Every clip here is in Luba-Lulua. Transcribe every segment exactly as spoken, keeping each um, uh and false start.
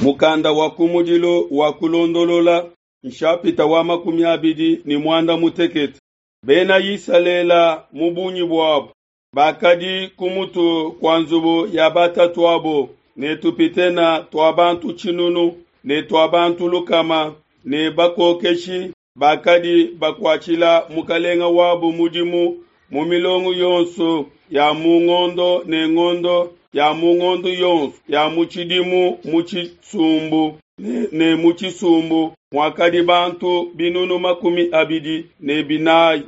Mukanda wa kumudilu wa kulondolola nshapita wa makumi abidi ne muanda mutekete. Bena Isalele mu bungi buabo bakadi ku mutu kua nzubu ya batatuabo ne tupitene tua bantu tshinunu ne tua bantu lukama ne bakokeshi bakadi bakuatshila mukelenge wabo mudimu mu milongo yonso ya mu ngondo ne ngondo ya mu ngondo yonso ya mu tshidimu mu tshisumbu ne, ne mu tshisumbu muakadi bantu binunu makumi abidi ne binayi.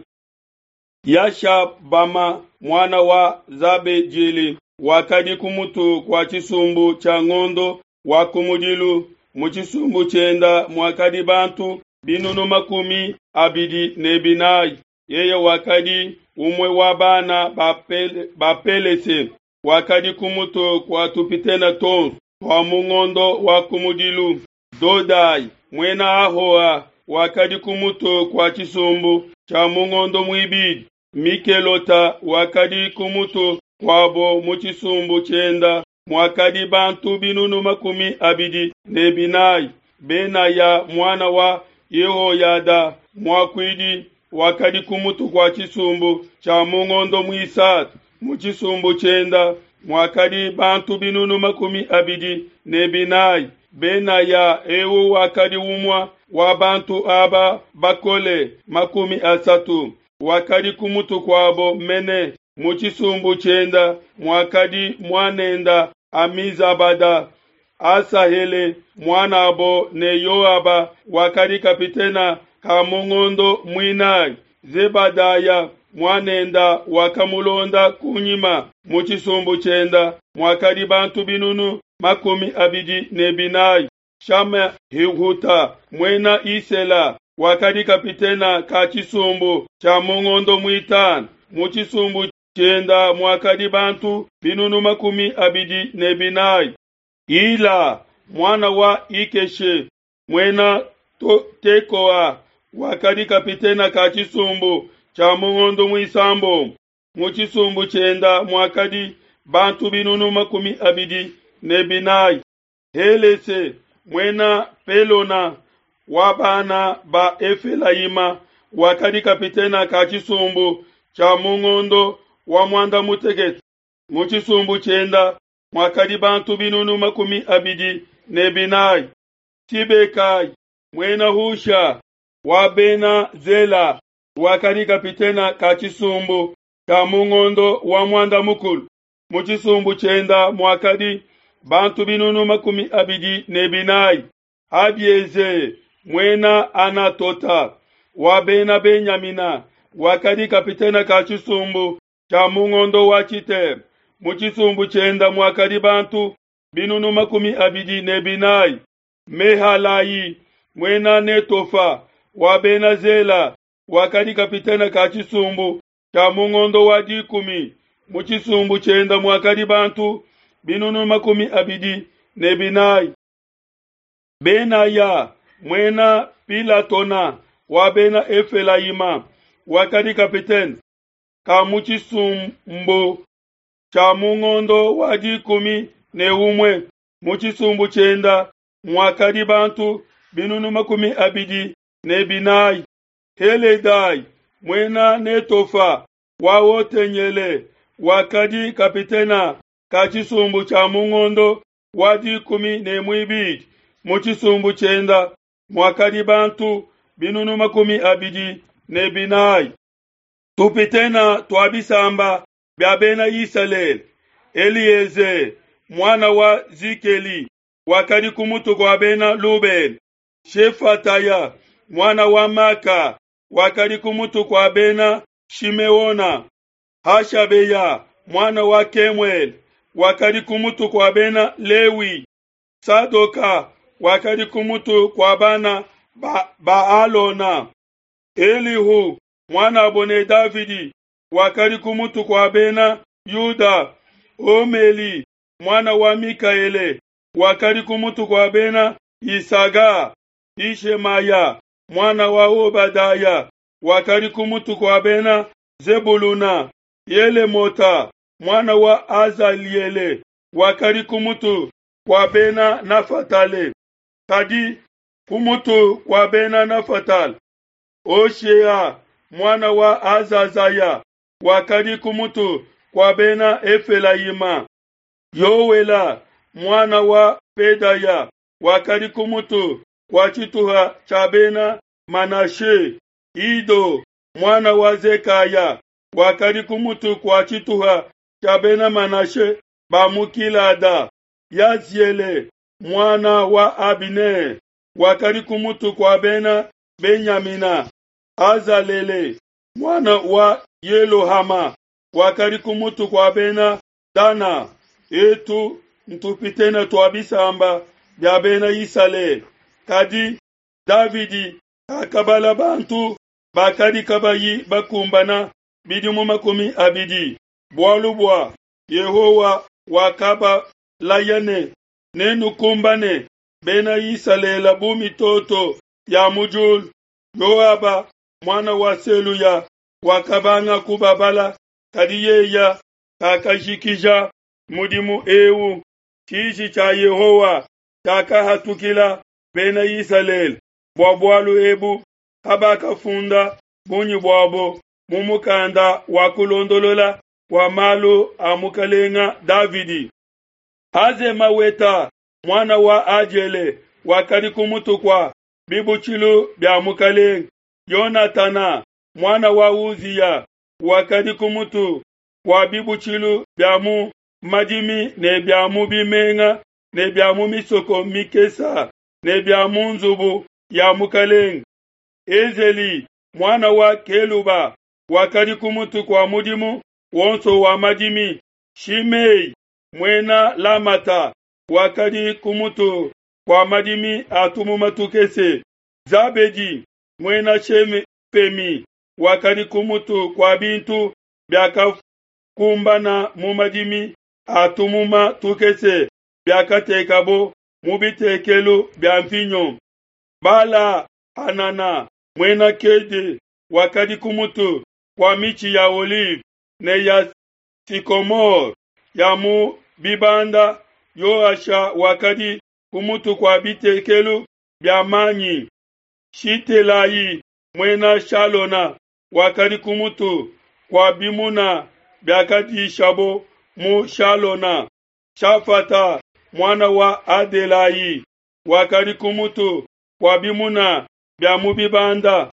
Yashabama muana wa Zabediele wakadi ku mutu kua tshisumbu tshia ngondo wa kumudilu, mu tshisumbu tshienda muakadi bantu binunu makumi abidi ne binayi. Yeye wakadi umue wa bana ba, Pele, ba Pelese, wakadi ku mutu kua tupitene tuonso tua mu ngondo wa kumudilu. Dodai muena Ahoa wakadi ku mutu kua tshisumbu tshia mu ngondo muibidi. Mikelota wakadi ku mutu kuabo mu tshisumbu tshienda muakadi bantu binunu makumi abidi ne binayi. Benaya muana wa Yehoyada muakuidi wakadi ku mutu kua tshisumbu tshia mu ngondo muisatu. Mu tshisumbu tshienda muakadi bantu binunu makumi abidi ne binayi. Benaya eu wakadi umue wa bantu aba bakole makumi asatu, wakadi ku mutu kuabo mene. Mu tshisumbu tshienda muakadi muanenda Amizabada. Asahele muanabo ne Yoaba wakadi kapitena ka mu ngondo muinayi. Zebadaya muanenda wakamulonda kunyima. Mu tshisumbu tshienda muakadi bantu binunu makumi abidi ne binayi. Shama-Hihuta muena Isela wakadi kapitena ka tshisumbu tshia mu ngondo muitanu. Mu tshisumbu tshienda muakadi bantu binunu makumi abidi ne binayi. Ila muana wa Ikeshe muena Tekoa wakadi kapitena ka tshisumbu tshia mu ngondo muisambombo. Mu tshisumbu tshienda muakadi bantu binunu makumi abidi ne binayi. Helese muena Pelona wa bana ba Efelayima wakadi kapitena ka tshisumbu tshia mu ngondo wa muanda mutekete. Mu tshisumbu tshienda muakadi bantu binunu makumi abidi ne binayi. Sibekai muena Husha wa bena Zela wakadi kapitena ka tshisumbu tshia mu ngondo wa muanda mukulu. Mu tshisumbu tshienda muakadi bantu binunu makumi abidi ne binayi. Abieze muena Anatota wa bena Benyamina wakadi kapitena ka tshisumbu tshia mu ngondo wa tshitema. Mu tshisumbu tshienda muakadi bantu binunu makumi abidi ne binayi. Mehalayi muena Netofa wa bena Zela wakadi kapitena ka tshisumbu tshia mu ngondo wa dikumi. Mu tshisumbu tshienda muakadi bantu binunu makumi abidi ne binayi. Benaya muena Pilatona wa bena Efelayima wakadi kapitene ka mu tshisumbu tshia mu ngondo wa dikumi ne umue. Mu tshisumbu tshienda muakadi bantu binunu makumi abidi ne binayi. Heledai muena Netofa wa Otenyele wakadi kapitena ka tshisumbu tshia mu ngondo wa dikumi ne muibidi. Mu tshisumbu tshienda muakadi bantu binunu makumi abidi ne binayi. Tupitena tua bisamba bia bena Isalele. Elieze muana wa Zikeli wakadi ku mutu kua bena Lubene. Shefataya muana wa Maka wakadi ku mutu kua bena Shimeona. Hashabeya muana wa Kemuele wakadi ku mutu kua bena Lewi. Sadoka wakadi ku mutu kua bana ba, ba Alona. Elihu muanabo ne Davidi wakadi ku mutu kua bena Yuda. Omeli muana wa Mikaele wakadi ku mutu kua bena Isaga. Ishemaya muana wa Obadaya wakadi ku mutu kua bena Zebuluna. Yelemota muana wa Azaliele wakadi ku mutu kua Bena Nafatale. Kadi ku mutu kua Bena Nafatale, Hoshea, muana wa Azazaya, wakadi ku mutu kua Bena Efelayima. Yoela, muana wa Pedaya, wakadi ku mutu kua tshituha tshia Bena Manashe. Ido, muana wa Zekaya, wakadi ku mutu kua tshituha tshia Bena Manashe ba mu Gilada. Yaziele, muana wa Abine, wakadi ku mutu kua Bena Benyamina. Azalele, muana wa Yelohama, wakadi ku mutu kua Bena Dana. Etu ntupitene tua bisamba bia Bena Isalele. Kadi Davidi kakabala bantu bakadi kabayi bakumbana bidimu makumi abidi, bualu bua Yehowa wakabalaya ne, Nenukumbane Bena Isalele bu mitoto ya mu diulu. Yoaba, muana wa Seluya, wakabanga kubabala, kadi yeye kakajikija mudimu eu. Tshiji tshia Yehowa tshiakahatukila Bena Isalele bua bualu ebu, kabakafunda bungi buabo mu mukanda wa kulondolola kua malu a mukelenge Davidi. Azemaweta, muana wa Adiele, wakadi ku mutu kua bibutshilu bia mukelenge. Yonatana, muana wa Uziya, wakadi ku mutu kua bibutshilu bia mu madimi ne bia mu bimenga ne bia mu misoko mikese ne bia mu nzubu ya mukelenge. Ezeli, muana wa Keluba, wakadi ku mutu kua mudimu wonso wa madimi. Shimei, muena Lamata, wakadi ku mutu kua madimi a tumuma tukese. Zabedi, muena Shefemi, wakadi ku mutu kua bintu biakakumbana mu madimi a tumuma tukese biakatekabo mu bitekelu bia mvinyo. Bala Hanana, muena Kede, wakadi ku mutu kua mitshi ya olive ne ya sycomore ya mu bibanda. Yoasha wakadi ku mutu kua bitekelu bia manyi. Shitelayi, muena Shalona, wakadi ku mutu kua bimuna biakadishabo mu Shalona. Shafata, muana wa Adelayi, wakadi ku mutu kua bimuna bia mu bibanda.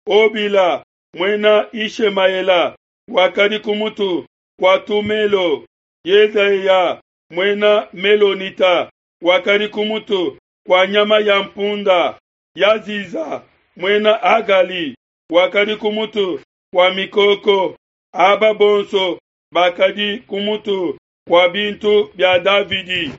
Obila, muena Yishemaela, wakadi ku mutu kua tumelo. Yedeya, muena Melonita, wakadi ku mutu kua nyama ya mpunda. Yaziza, muena Agali, wakadi ku mutu kua mikoko. Aba bonso bakadi ku mutu kua bintu bia Davidi.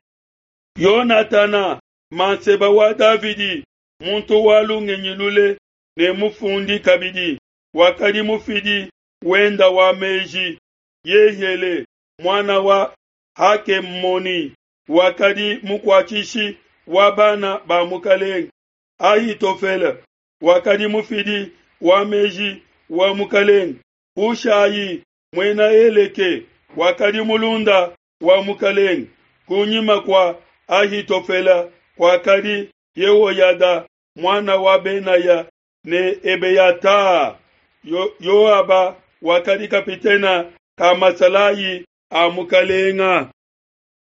Yonatana, manseba wa Davidi, muntu wa lungenyi lule ne mufundi kabidi, wakadi mufidi wenda wa meji. Yehiele, muana wa Hakemoni, wakadi mukuatshishi wa bana ba mukelenge. Ahitofele wakadi mufidi wa meji wa mukelenge. Hushai, muena Eleke, wakadi mulunda wa mukelenge. Kunyima kua Ahitofele kuakadi Yehoyada, muana wa Benaya, ne Ebeyata. Yoaba wakadi kapitena ka masalayi a mukelenge.